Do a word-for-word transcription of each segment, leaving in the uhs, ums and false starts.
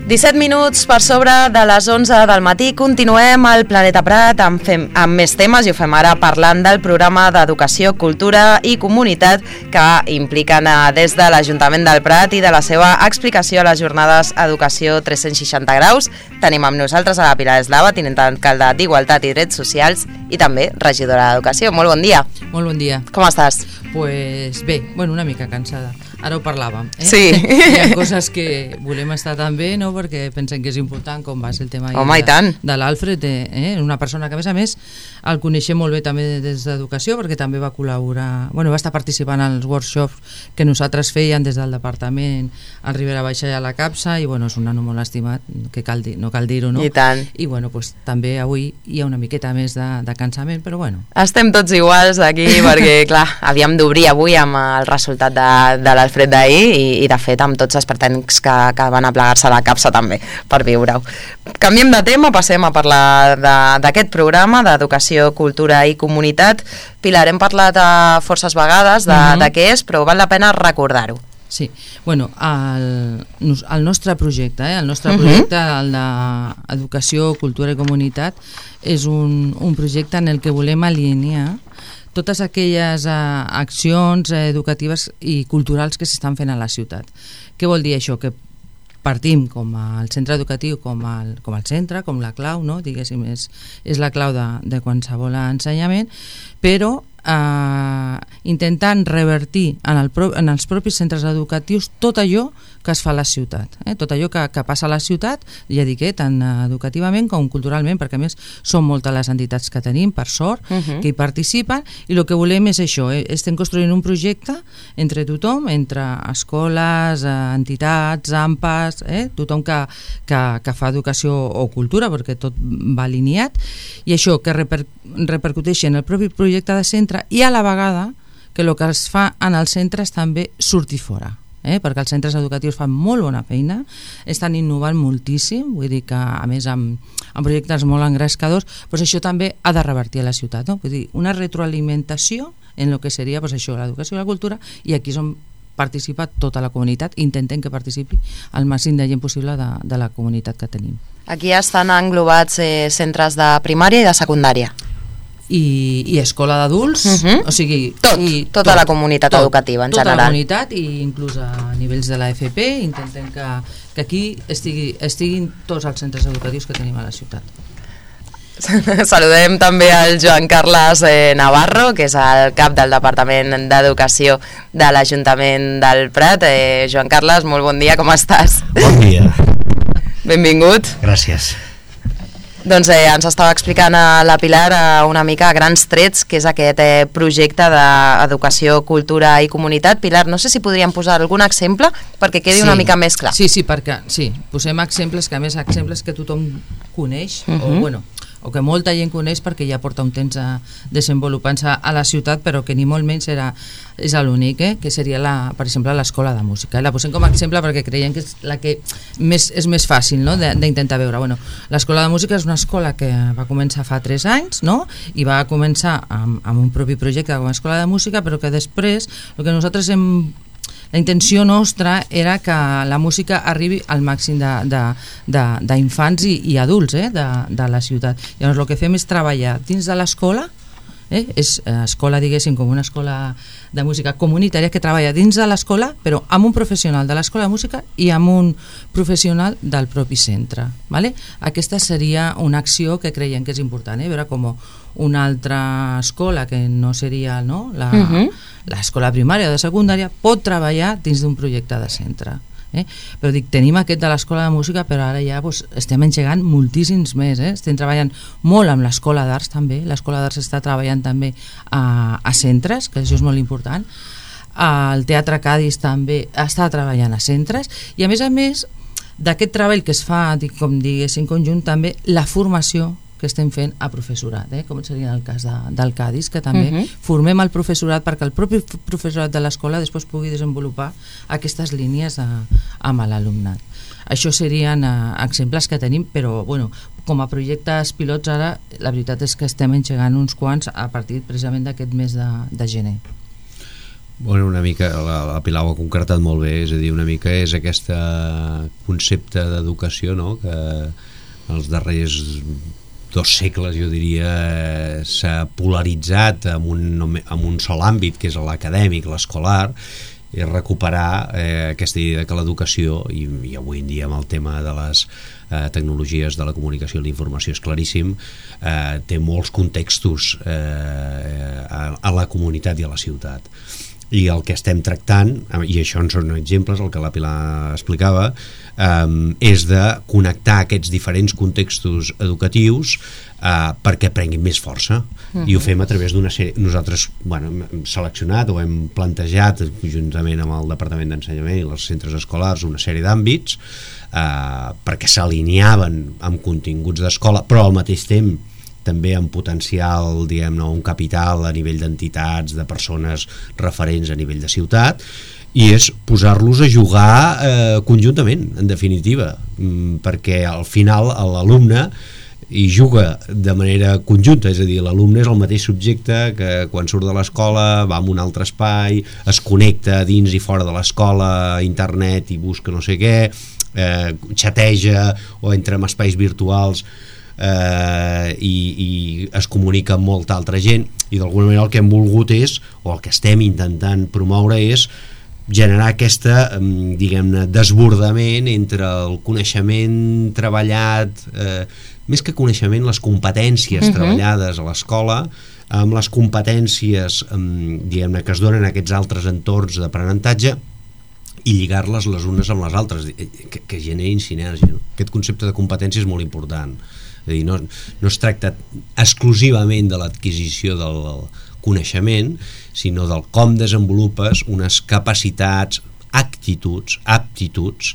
disset minuts per sobre de les onze del matí. Continuem al Planeta Prat amb, fem, amb més temes i ho fem ara parlant del programa d'Educació, Cultura i Comunitat que impliquen des de l'Ajuntament del Prat i de la seva explicació a les jornades Educació tres-cents seixanta graus. Tenim amb nosaltres a la Pilar Eslava, tinent d'alcalde d'Igualtat i Drets Socials i també regidora d'Educació. Molt bon dia. Molt bon dia. Com estàs? Pues bé, bueno, una mica cansada. Ara ho parlàvem, eh? Sí. Hi ha coses que volem estar també, no?, perquè pensem que és important, com va ser el tema Home, de, de l'Alfred, eh? Una persona que a més a més el coneixem molt bé també des d'Educació, perquè també va col·laborar, bueno, va estar participant als workshops que nosaltres feien des del departament al Ribera Baixa i a la Capsa, i bueno, és un nano molt estimat, que cal dir, no cal dir-ho, no? I tant. I bueno, pues, també avui hi ha una miqueta més de, de cansament, però bueno. Estem tots iguals aquí perquè, clar, havíem d'obrir avui amb el resultat de, de l'Alfred d'ahir i, i de fet amb tots els pretècnics que, que van a plegar-se a la Capsa també per viure-ho. Canviem de tema, passem a parlar d'aquest programa d'Educació, Cultura i Comunitat. Pilar, hem parlat a forces vegades de, uh-huh. de què és, però val la pena recordar-ho. Sí, bueno, el, el nostre projecte, eh, el nostre projecte, el d'Educació, Cultura i Comunitat, és un, un projecte en el que volem alinear totes aquelles eh, accions eh, educatives i culturals que s'estan fent a la ciutat. Què vol dir això? Que partim com el centre educatiu, com el, com el centre, com la clau, no? Diguéssim, és, és la clau de, de qualsevol ensenyament, però eh, intentant revertir en, el pro, en els propis centres educatius tot allò que es fa a la ciutat, eh? Tot allò que, que passa a la ciutat, ja dic, eh? Tant educativament com culturalment, perquè a més són moltes les entitats que tenim, per sort, uh-huh. que hi participen, i el que volem és això, eh? Estem construint un projecte entre tothom, entre escoles, eh, entitats, A M P As, eh? tothom que, que, que fa educació o cultura, perquè tot va alineat, i això que reper, repercuteixi en el propi projecte de centre i a la vegada que el que es fa en els centres també surti fora. Eh? Perquè els centres educatius fan molt bona feina, estan innovant moltíssim, vull dir que a més amb, amb projectes molt engrescadors, doncs això també ha de revertir a la ciutat, no? Vull dir, una retroalimentació en el que seria doncs això, l'educació i la cultura, i aquí és on participa tota la comunitat, intentem que participi el màxim de gent possible de, de la comunitat que tenim. Aquí estan englobats eh, centres de primària i de secundària. I, i escola d'adults, uh-huh. o sigui tot, i tota tot, la comunitat tot, educativa en tota general. Tota la comunitat i inclús a nivells de la F P intentem que, que aquí estigui, estiguin tots els centres educatius que tenim a la ciutat. Saludem també al Joan Carles eh, Navarro, que és el cap del Departament d'Educació de l'Ajuntament del Prat. eh, Joan Carles, molt bon dia, com estàs? Bon dia. Benvingut. Gràcies. Doncs eh, ens estava explicant a la Pilar eh, una mica a grans trets que és aquest eh, projecte d'Educació, Cultura i Comunitat. Pilar, no sé si podríem posar algun exemple perquè quedi sí. una mica més clar. Sí, sí, perquè sí, posem exemples que a més exemples que tothom coneix, uh-huh. o bueno, o que molta gent coneix perquè ja porta un temps a desenvolupant-se a la ciutat, però que ni molt menys era, és l'únic, eh? Que seria, la, per exemple, l'escola de música. La posem com a exemple perquè creiem que és la que més, és més fàcil, no?, d'intentar veure. Bueno, l'escola de música és una escola que va començar fa tres anys, no?, i va començar amb, amb un propi projecte com a escola de música, però que després el que nosaltres hem la intenció nostra era que la música arribi al màxim d'infants i, i adults eh, de, de la ciutat. Llavors el que fem és treballar dins de l'escola, eh, és escola, diguéssim, com una escola de música comunitària que treballa dins de l'escola, però amb un professional de l'escola de música i amb un professional del propi centre. Vale? Aquesta seria una acció que creiem que és important, eh? Veure com una altra escola que no seria no, la, uh-huh. l'escola primària o de secundària pot treballar dins d'un projecte de centre. Eh? Però dic, tenim aquest de l'escola de música, però ara ja doncs, estem engegant moltíssims més, eh? Estem treballant molt amb l'escola d'arts també, l'escola d'arts està treballant també a, a centres, que això és molt important, el Teatre Cadis també està treballant a centres, i a més a més d'aquest treball que es fa, dic, com diguéssim, conjunt, també la formació que estem fent a professorat, eh? Com seria el cas de, del Cadis, que també uh-huh. formem el professorat perquè el propi professorat de l'escola després pugui desenvolupar aquestes línies a, amb l'alumnat. Això serien uh, exemples que tenim, però bueno, com a projectes pilots ara la veritat és que estem engegant uns quants a partir precisament d'aquest mes de, de gener. Bueno, una mica, la, la Pilar ho ha concretat molt bé, és a dir, una mica és aquest concepte d'educació, no?, que els darrers dos segles, jo diria, s'ha polaritzat en un, en un sol àmbit, que és l'acadèmic, l'escolar, i recuperar eh, aquesta idea que l'educació, i, i avui en dia amb el tema de les eh, tecnologies de la comunicació i la informació és claríssim, eh, té molts contextos eh, a, a la comunitat i a la ciutat. I el que estem tractant, i això en són exemples, el que la Pilar explicava, eh, és de connectar aquests diferents contextos educatius eh, perquè prenguin més força. Uh-huh. I ho fem a través d'una sèrie. Nosaltres, bueno, hem seleccionat o hem plantejat juntament amb el Departament d'Ensenyament i els centres escolars una sèrie d'àmbits eh, perquè s'alineaven amb continguts d'escola, però al mateix temps també amb potencial, diguem-ne, un capital a nivell d'entitats, de persones referents a nivell de ciutat, i és posar-los a jugar eh, conjuntament, en definitiva, perquè al final l'alumne hi juga de manera conjunta, és a dir, l'alumne és el mateix subjecte que quan surt de l'escola va a un altre espai, es connecta dins i fora de l'escola a internet i busca no sé què, eh, xateja o entra en espais virtuals eh, i, i es comunica amb molta altra gent, i d'alguna manera el que hem volgut és, o el que estem intentant promoure és generar aquesta, diguem-ne, desbordament entre el coneixement treballat, eh, més que coneixement, les competències uh-huh. treballades a l'escola, amb les competències, diguem-ne, que es donen a aquests altres entorns d'aprenentatge, i lligar-les les unes amb les altres, que, que generin sinergia. No? Aquest concepte de competència és molt important. És a dir, no, no es tracta exclusivament de l'adquisició del coneixement, sinó del com desenvolupes unes capacitats, actituds, aptituds,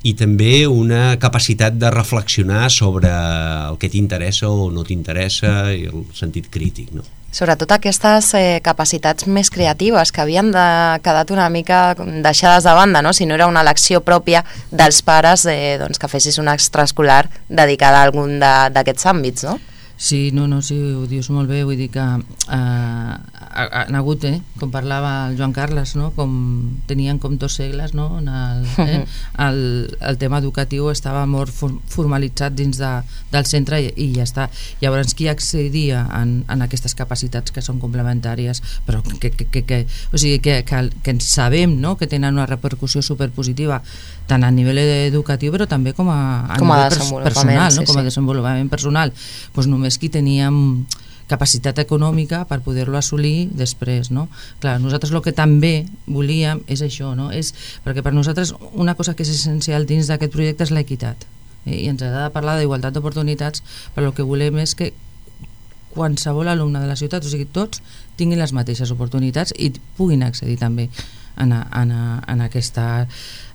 i també una capacitat de reflexionar sobre el que t'interessa o no t'interessa, i el sentit crític, no? Sobretot aquestes eh, capacitats més creatives que havien de quedat una mica deixades de banda, no? Si no era una elecció pròpia dels pares, eh, doncs que fessis una extraescolar dedicada a algun d'aquests àmbits, no? Sí, no, no, sí, ho dius molt bé, vull dir que eh, han hagut, eh, com parlava el Joan Carles, no? Com tenien com dos segles, no? En el, eh, el, el tema educatiu estava molt formalitzat dins de, del centre i, i ja està. Llavors qui accedia en, en aquestes capacitats que són complementàries, però que, que, que, que, o sigui, que, que, que ens sabem, no? Que tenen una repercussió superpositiva tant a nivell educatiu però també com a, a com a nivell personal, sí, no? Com a sí. desenvolupament personal. Pues només qui teníem capacitat econòmica per poder-lo assolir després, no? Clar, nosaltres el que també volíem és això, no? És, perquè per nosaltres una cosa que és essencial dins d'aquest projecte és l'equitat, eh? I ens agrada parlar d'igualtat d'oportunitats, però el que volem és que qualsevol alumne de la ciutat, o sigui, tots tinguin les mateixes oportunitats i puguin accedir també en, en, en, aquesta,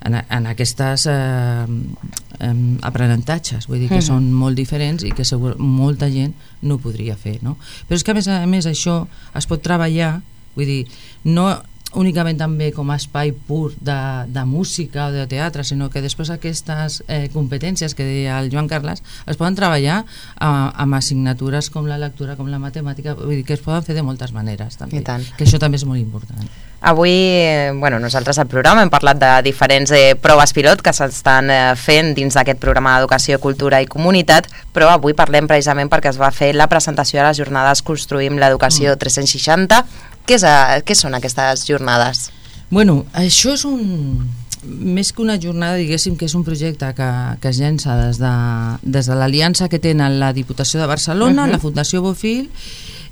en, en aquestes eh, eh, aprenentatges, vull dir que uh-huh. són molt diferents i que segur, molta gent no ho podria fer, no? Però és que a més a més això es pot treballar, vull dir, no únicament també com a espai pur de, de música o de teatre, sinó que després aquestes eh, competències que deia el Joan Carles es poden treballar eh, amb assignatures com la lectura, com la matemàtica, vull dir que es poden fer de moltes maneres també, que això també és molt important. Avui, bueno, nosaltres al programa hem parlat de diferents eh, proves pilot que s'estan eh, fent dins d'aquest programa d'Educació, Cultura i Comunitat, però avui parlem precisament perquè es va fer la presentació de les jornades Construïm l'Educació mm. tres-cents seixanta. Què, és, què són aquestes jornades? Bueno, això és un... més que una jornada, diguéssim que és un projecte que, que es llença des de, des de l'aliança que tenen la Diputació de Barcelona, uh-huh. la Fundació Bofill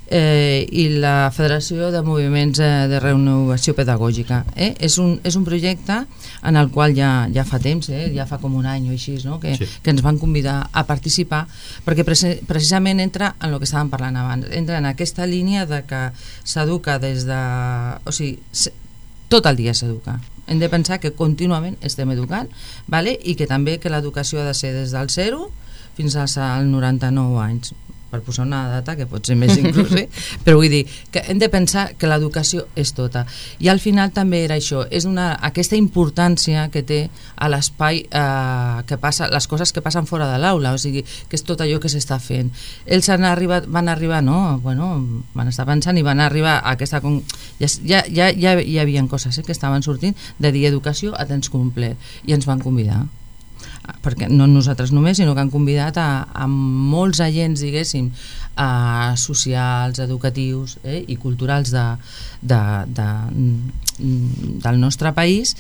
eh, i la Federació de Moviments eh, de Renovació Pedagògica. Eh? És, un, és un projecte en el qual ja, ja fa temps, eh? ja fa com un any o així, no? que, sí. que ens van convidar a participar, perquè precisament entra en el que estàvem parlant abans, entra en aquesta línia de que s'educa des de... o sigui, tot el dia s'educa. Hem de pensar que contínuament estem educant, vale? I que també que l'educació ha de ser des del zero fins als noranta-nou anys. per posar una data que pot ser més inclús, eh? Però vull dir que hem de pensar que l'educació és tota, i al final també era això, és una, aquesta importància que té a l'espai, eh, que passa, les coses que passen fora de l'aula, o sigui, que és tot allò que s'està fent. Ells han arribat, van arribar, no? Bueno, van estar pensant i van arribar a aquesta... Ja, ja, ja, ja hi havia coses eh, que estaven sortint de dir educació a temps complet, i ens van convidar, perquè no nosaltres només, sinó que han convidat a, a molts agents, diguéssim, a socials, educatius eh, i culturals de, de, de, del nostre país,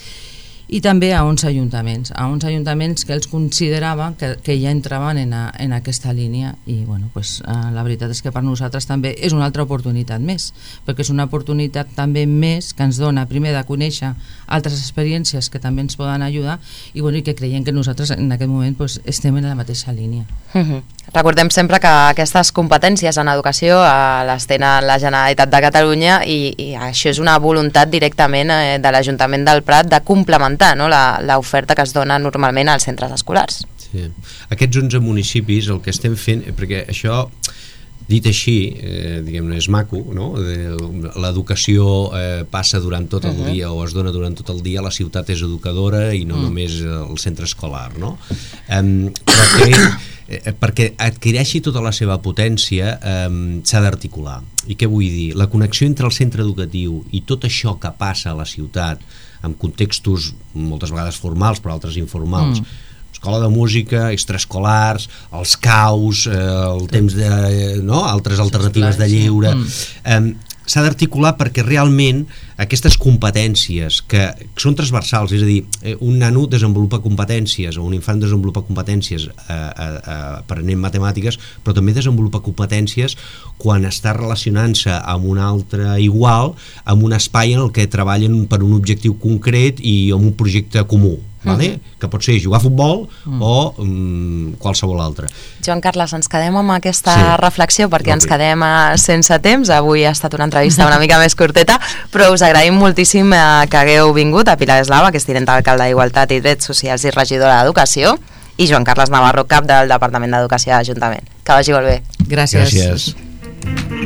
i també a uns ajuntaments, a uns ajuntaments que ells consideraven que, que ja entraven en, a, en aquesta línia, i bueno, pues, eh, la veritat és que per nosaltres també és una altra oportunitat més, perquè és una oportunitat també més que ens dona primer de conèixer altres experiències que també ens poden ajudar, i, bueno, i que creiem que nosaltres en aquest moment pues, estem en la mateixa línia. Mm-hmm. Recordem sempre que aquestes competències en educació eh, les tenen la Generalitat de Catalunya, i, i això és una voluntat directament eh, de l'Ajuntament del Prat de complementar, no, l'oferta que es dona normalment als centres escolars. Sí. Aquests onze municipis el que estem fent, perquè això dit així, eh, diguem-ne, és maco, no? L'educació eh, passa durant tot el uh-huh. dia, o es dona durant tot el dia, la ciutat és educadora i no uh-huh. només el centre escolar, no? Um, però que, eh, perquè adquireixi tota la seva potència um, s'ha d'articular. I què vull dir? La connexió entre el centre educatiu i tot això que passa a la ciutat, en contextos moltes vegades formals però altres informals, mm. escola de música, extraescolars, els caus, eh, el temps de... no? Altres alternatives de lleure... Mm. Eh, s'ha d'articular perquè realment aquestes competències que, que són transversals, és a dir, un nano desenvolupa competències o un infant desenvolupa competències eh, eh, aprenent matemàtiques, però també desenvolupa competències quan està relacionant-se amb un altre igual, amb un espai en el que treballen per un objectiu concret i amb un projecte comú. Vale? Mm. Que pot ser jugar a futbol mm. o um, qualsevol altre. Joan Carles, ens quedem amb aquesta sí. reflexió perquè okay. ens quedem uh, sense temps. Avui ha estat una entrevista una mica més curteta, però us agraïm moltíssim uh, que hagueu vingut a Pilar Eslava, que és tinent d'alcalde d'Igualtat i Drets Socials i regidora d'Educació, i Joan Carles Navarro, cap del Departament d'Educació de l'Ajuntament. Que vagi molt bé. Gràcies. Gràcies.